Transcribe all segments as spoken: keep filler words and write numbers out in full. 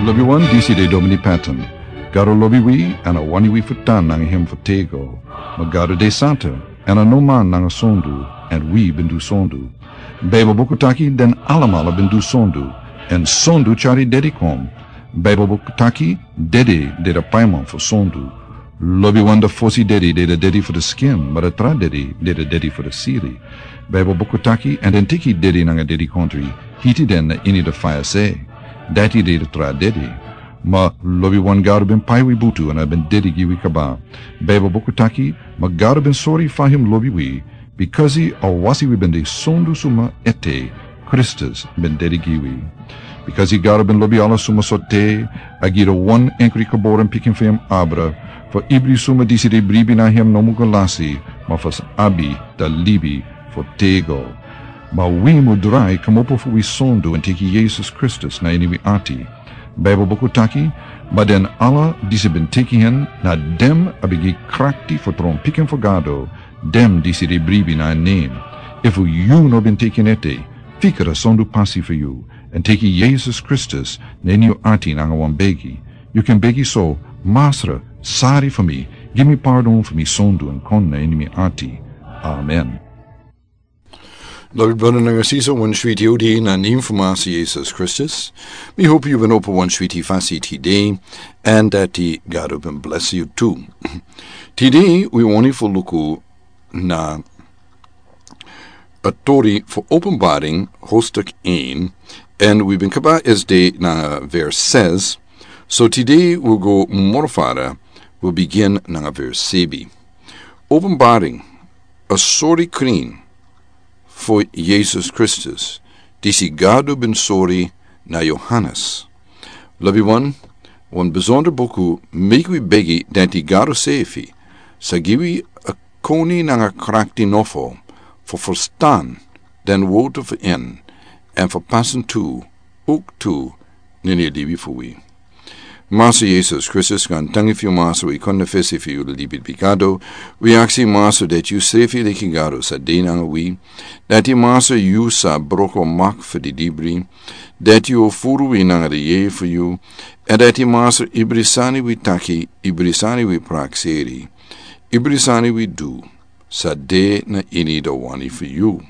Lobi wan, disi de Domini Patton. Gado lobi wi, èn a wani wi fu tan nanga hem fu tego. Ma Gado de santa, èn a no man nanga sondu, èn wi ben du sondu. Baibel buku taki den alamala ben du sondu, èn sondu tyari dedi kon. Baibel buku taki dedi de a paiman fu sondu. Lobi wan, a fosi dedi de a dedi fu a skin, ma a tra dedi de a dedi fu a siri. Baibel buku taki, èn den teki dedi nanga dedikontri, hiti den na ini a faya se. Dati de a tra dedi. Ma lobi wan, Gado ben pai wi butu èn a ben dedi gi wi kaba. Baibel buku taki, ma Gado ben sori fa hem lobi wi, bikasi a wasi wi ben de sondu suma ete, Kristus ben dedi gi wi. Bikasi Gado ben lobi ala suma sortu, a gi a wan enkri geboren pikin fu hem abra, fu ibri suma disi de bribi na hem no mu go lasi, ma fu sa abi a libi fu tego. Ma wi mu drai kmopo fu wi sondu èn teki Yesus Kristus na ini wi ati. Baibel buku taki, ma den ala disi ben teki hen, na den a ben gi krakti fu tron pikin fu Gado, den disi de bribi na en nen. Efu yu no ben teki en ete, fika a sondu pasi fu yu, èn teki Yesus Kristus na ini yu ati nanga wan begi. Yu kan begi so: Masra, sori fu mi, gi mi pardon fu mi sondu èn kon na ini mi ati. Amen. Lobi brada nanga sisa, wan switi odi na nen fu Masra Yesus Kristus. Mi hopi yu ben opo wan switi fasi tide, èn dati Gado ben blesi yu tu. Tide wi wani fu luku na a tori fu Openbaring, hoofdstuk een, èn wi ben kaba esde na vers zes. So tide wi go moro fara, wi bigin nanga vers sebi. Openbaring, a sori krin fu Yesus Kristus, disi Gado ben sori na Yohanes. Lobi wan, wan besondra buku, meki wi begi dati Gado sefi sa gi wi a koni nanga krakti nofo fu ferstan den wortu fu en, èn fu pasa en tu, owktu na ini a libi fu wi. Masra Yesus Kristus, gaantangi fu yu Masra, wi kon na fesi fu yu libi bigado. Wi aksi Masra dati yu sefi leki Gado sa de nanga wi. Dati Masra yu sa broko mak fu didibri. Dati yu o furu wi nanga a yeye fu yu. Èn dati Masra ibri sani wi taki, ibri sani wi prakseri, ibri sani wi du, sa de na ini a wani fu yu.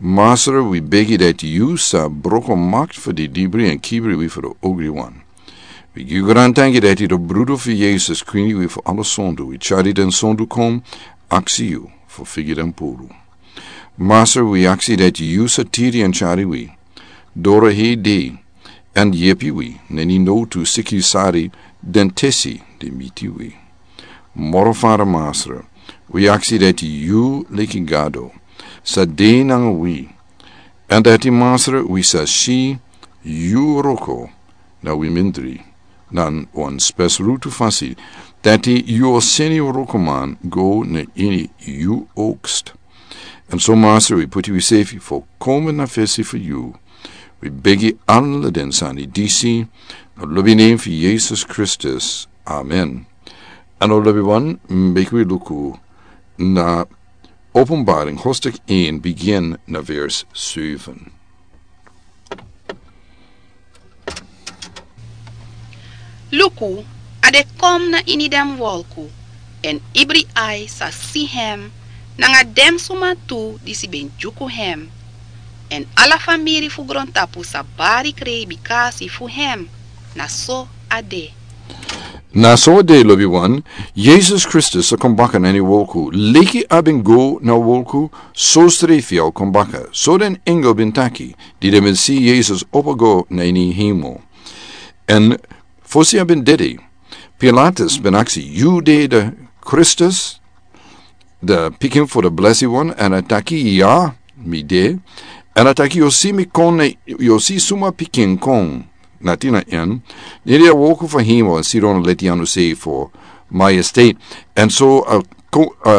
Masra, wi begi dati yu sa broko mak fu didibri èn kibri wi fu a ogriwan. Wi gi yu gaantangi dati a brudu fu Yesus krin wi fu ala sondu. Wi tyari den sondu kon, aksi yu fu figi den puru. Masra, wi aksi dati yu sa tiri èn tyari wi doro hei dei, èn yepi wi na ini nowtu siki sari den tesi di miti wi. Moro fara Masra, wi aksi dati yu leki Gado sa de nanga wi, èn dati Masra wi sa si yu wroko na wi mindri, na wan spesrutu fasi, dati yu o seni wrokoman go na ini yu ookst. Èn so Masra, wi puti wisefi fu komen na fesi fu yu. Wi begi ala den sani disi na lobi nen fu Yesus Kristus. Amen. Èn o lobi wan, meki wi luku na Openbaring hoofdstuk een, bigin na vers zeven. Luku, a de kon na ini den wolku, èn ibri ai sa si hem, nanga den suma tu disi ben dyuku hem, èn ala famiri fu grontapu sa bari krei bikasi fu hem. Na so a de. Na so a de, lobi wan. Yesus Kristus sa kon baka na ini wolku. Leki a ben go na wolku, so srefi a o kon baka, so den engel ben taki, di den ben si Yesus opo go na ini hemel. Èn fosi a ben dede, Pilatus ben aksi: Yu de a Kristus, a pikin fu a blesi wan? Èn a taki: Ya, mi de. Èn a taki: Yu o si mi kon, yu o si suma pikin kon. Na tin na en, nidi a wooko fu hemel èn sidon leti anu sei fu maestate. Èn so a, a,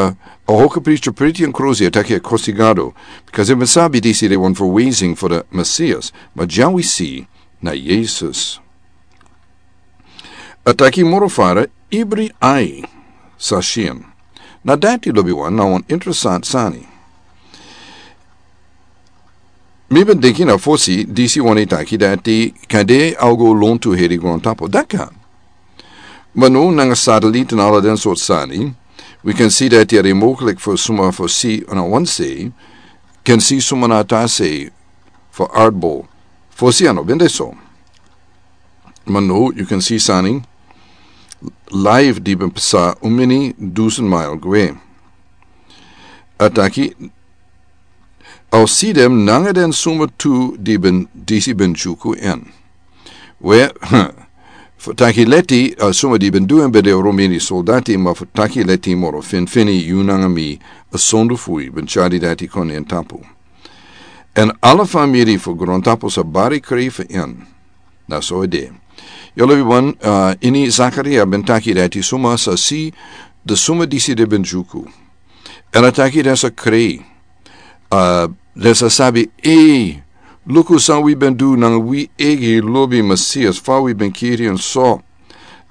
a hoge priester priti èn krosi, a taki a kosi Gado, bikasi a ben sabi disi de wan verwezing fu a Mesias. Ma dya wi si na Yesus. A taki moro fara, ibri ai sa si en. Na dati, lobi wan, na wan interesant sani. Mi ben denki na fosi disi wani taki dati kande a o go lontu heri grontapu daka. Ma no nanga satelit na ala den sortu sani, wi kan si dati a de moglik fu suma fu si na wan sei kan si suma na ta sei fu ardbol. Fosi a no ben de so. Ma no yu kan si sani live di ben pasa un mini dusun mail gwe. A taki a o si den nanga den suma tu di ben disi ben juku en. We fu taki leti a suma di ben du en ben de romini soldati ma fu taki leti moro finfini yu nanga mi a sondu fui ben cari dati kon en tapu. En ala famiri fu grontapu sa bari kri fu en. Na so e de. Yu lobi wan ini zakaria ben taki dati suma sa si de suma disi de ben juku. En a taki den sa kri den sa sabi ei, luku san wi ben du nanga wi egi lobi masias fa wi ben kiri en so.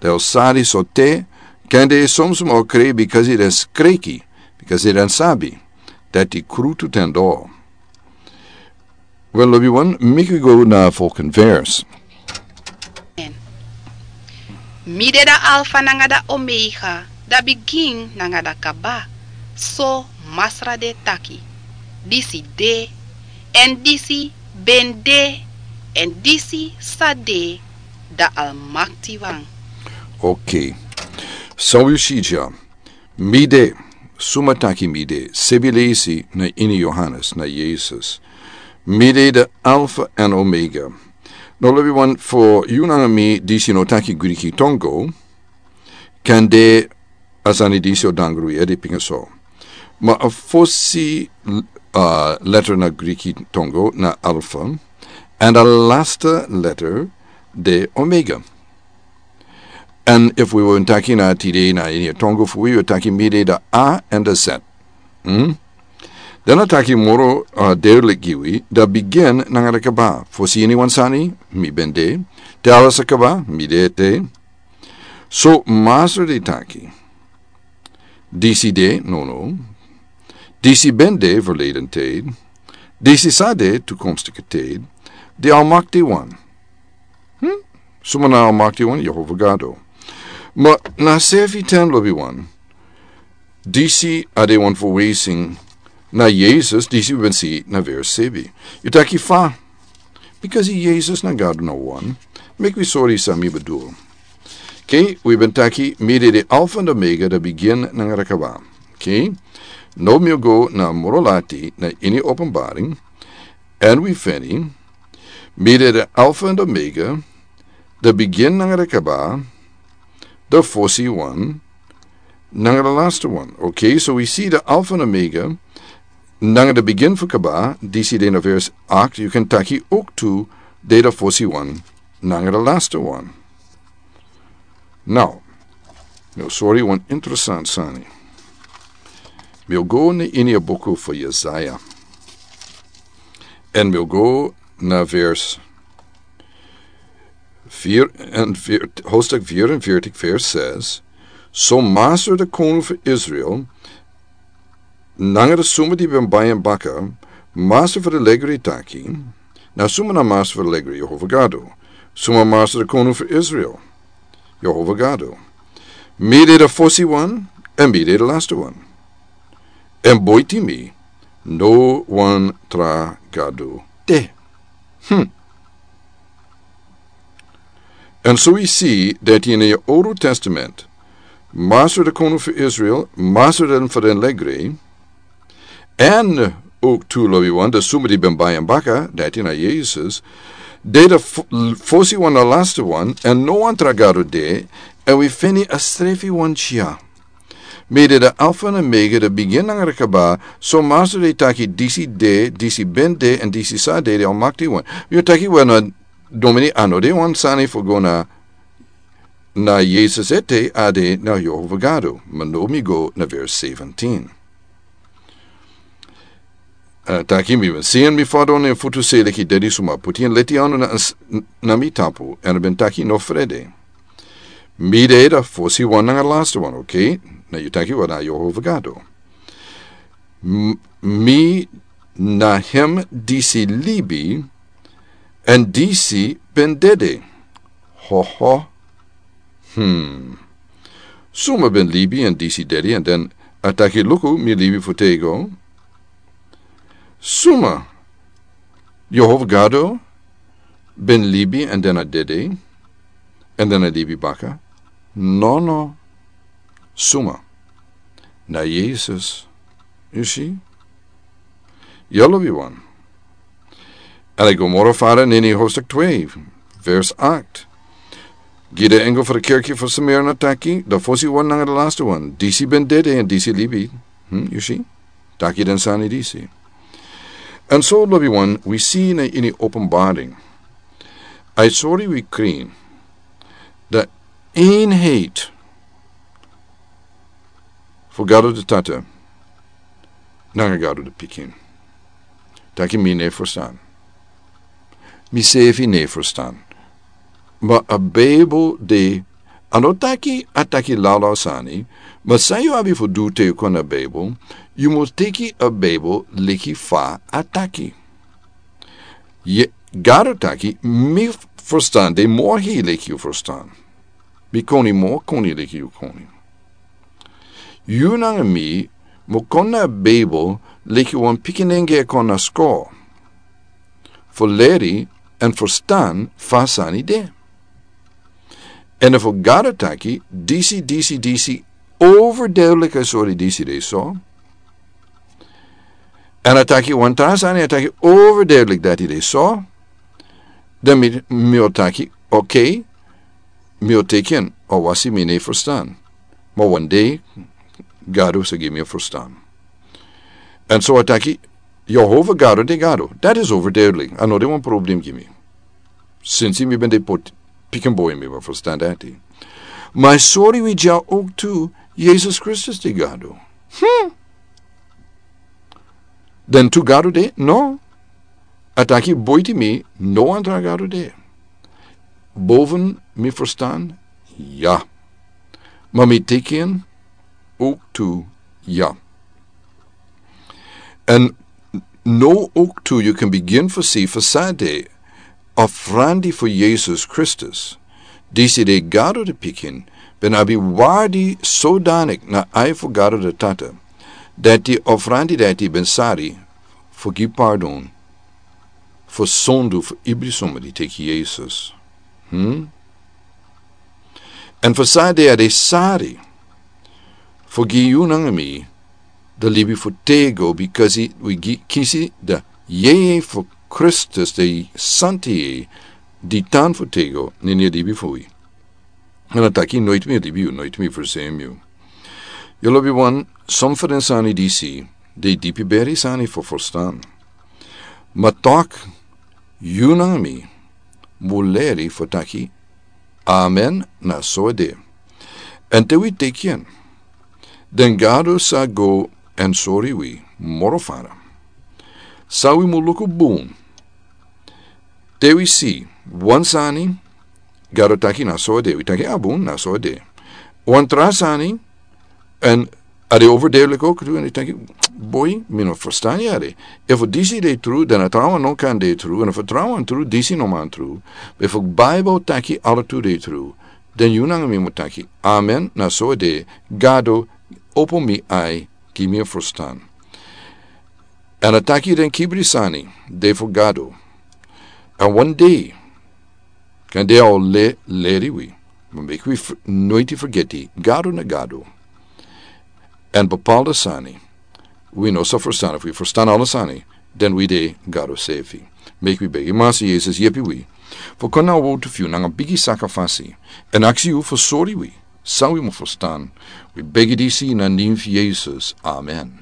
Den o sari so te kande e somsuma o kri bikasi den skriki bikasi den sabi dati krutu ten do. Wel lobi wan miki go na fokin vers. Mi de da alfa nanga da omega, da bigin nanga da kaba. So masra de taki, disi de, en disi ben de, en disi sa de, da almakti wan. Ok. San wi si dya? Mi de. Suma taki mi de sebi leisi na ini yohanes na yesus. Mi de de alfa en omega. No lobi wan fo yu nanga mi disi no taki griki tongo. Kan de a sani disi o dangru yedi pinga so. Ma a fosi letter na griki tongo na alfa. And a lasta letter de omega. And if we were taki na tide na ini a tongo fu wi we taki mi de da a and a set. Hmm? Den a taki moro a derlik gi wi da bigin nanga da kaba fosi ini wan sani. Mi ben de te ala sa kaba mi de te. So masra de taki disi de no no. Disi ben de verleden te. Disi sa de tukomstike te. De almakti wan. Hmm? Suma na almakti wan yehova gado. Ma na sefi ten lobi wan. Disi a de wan fu wesing na yesus disi ben si na ver sebi. Yu taki fa? Bikasi yesus na gado na wan. Meki wi sori san mi bedul. Ke wi ben taki mi de de alfa na omega da bigin nanga da kaba. Ke no mi o go na moro lati na ini openbaring. And we feni mi de de alfa and omega, de begin nanga de kaba, de fosi wan nanga de laste wan. Okay, so we si de alfa and omega nanga de begin fu kaba disi de na vers acht. You can taki ook tu de de fosi wan nanga de laste wan. Now, mi o sori wan interessant sani. Mi o go na ini a buku fu yesaya. En mi o go na vers vier en vier, hoofdstuk vierenveertig vers zes. So masra de koning fu israel nanga de suma di ben bai en baka, masra fu de legri taki. Na suma na masra fu de legri yehova gado? Suma masra de koning fu israel? Yehova gado. Mi de de fosi wan en mi de de laste wan. En boiti mi no wan tra gado. Te. Hmm. En so wi si dati in e oru testament, masra de koning fu israel masra den fu den legre. En ook tu lobi wan de suma di ben bai en baka dati na yesus, de de fosi wan na laste wan en no wan tra gado de. En wi fini a strefi wan cia. Mi de de alfa na omega de begin nanga de kaba. So masra de taki disi de disi ben de en disi sa de de almakti wan. Wi o taki wan na domini ano de wan sani fu go na na yesus ete a de na yehova gado. Ma no mi go na vers seventeen. Taki mi ben sien mi fadon en futu se leki dedi suma puti en leti anu na mi tapu en ben taki no frede. Mi de da fosi wan nanga laste wan okay. Na yu taki wan na yehova gado. Mi na hem disi libi, èn disi ben dede. Ho ho. Hmm. Suma ben libi èn disi dede, èn den a taki, luku, mi libi fu tego. Suma, Yehova Gado ben libi èn den a dede, èn den a libi baka? Nono. Suma? Na Yesus. Yu si? Yu lobi wan. Èn a go moro fara na ini hoofdstuk twee, vers acht. Gi de engel fu de kerki fu Smyrna taki, de fosi wan nanga de laatste wan, disi ben dede èn disi libi. Hmm, yu si? Taki den sani disi. Èn so, lobi wan, wi si na ini Openbaring. A e sori wi krin. De eenheid fu Gado de Tata nanga Gado de Pikin. Taki mi no e ferstan. Mi seefi no e ferstan. Ma a Bijbel de, a no taki a taki lawlaw sani, ma san yu abi fu du te yu kon na Bijbel, yu mus teki a Bijbel leki fa a taki. Ye, Gado taki, mi ferstan de moro hei leki yu ferstan. Mi koni moro koni leki yu koni. Yu nanga mi mu kon na Bijbel leki wan pikinenge e kon na skol. Fu leri èn ferstan fa sani de. Èn efu Gado taki, disi, disi, disi, overduidelijk a sori disi de so. Èn a taki wan tra sani, a taki overduidelijk dati de so. Dan mi, mi o taki, oké, mi o teki en, a wasi mi no e ferstan. Ma wan dei, Gado sa gi mi a ferstan. Èn so a taki, Yehova Gado de Gado. Dati is overduidelijk. A no de wan problem gi mi. Sinsi mi ben de poti, pikin boi mi ben ferstan dati. Ma a sori wi dya ook tu, Yesus Kristus de Gado. Hmm. Dan tu Gado de? No. A taki buiti mi, no wan tra Gado de. Boven mi ferstan, ya. Ma mi teki en ook tu, ya. Èn now ook tu yu kan bigin fu si fu san de ofrandi fu Yesus Kristus, disi de Gado de Pikin, ben abi waardi sodanik na ai fu Gado de Tata, dati ofrandi dati ben sari fu gi pardon fu sondu fu ibri suma di teki Yesus. Hmm? Èn fu san de a de sari fu gi yu nanga mi de libi fu tego, bikasi wi gi kisi de yeye fu Kristus, de santi yeye di tan fu tego na ini a libi fu wi. Èn a taki noiti mi libi yu, noiti mi fersem yu. Yu lobi wan, son fu den sani disi de dipi beri sani fu ferstan. Ma tok, yu nanga mi mu leri fu taki, amen, na so a de. Èn te wi teki en, dan Gado sa go èn sori wi moro fara. San wi mu luku bun. Te wi si wan sani, Gado taki na so a de, wi taki a bun, na so a de. Wan tra sani, èn a de overduidelijk ook tu, èn yu taki, boi, mi no ferstan yere. Efu disi de tru, dan a trawan no kan de tru, èn efu trawan tru, disi no man tru. Efu Bijbel taki ala tu de tru, dan yu nanga mi mu taki, amen, na so a de, Gado, opo mi ai, gi mi a ferstan. Èn a taki den kibri sani de fu Gado. Èn wan dei, kande a o le, leri wi, ma meki wi f-, noiti fergeti, Gado na Gado. Èn bepaalde sani wi no sa ferstan, efu wi ferstan ala sani, dan wi de Gado sefi. Meki wi begi, Massa Yesus, yepi wi fu kon na wowtu fu yu nanga bigi sakafasi, èn aksi yu fu sori wi san wi mu ferstan. Wi begi disi na nen fu Yesus. Amen.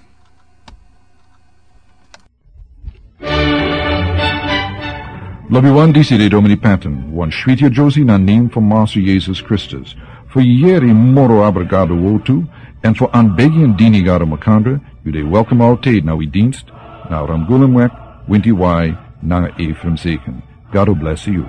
Lobi wan, disi de Domini Patton, wan switi a Josie na nen fu Massa Yesus Kristus. Fu yere moro abra Gado wowtu, èn fu anbegi èn dini Gado makandra, yu de welkom altijd na wi dienst, na Ramgulumweg, winti wai, nanga Ephraim Zeken. Gado bless yu.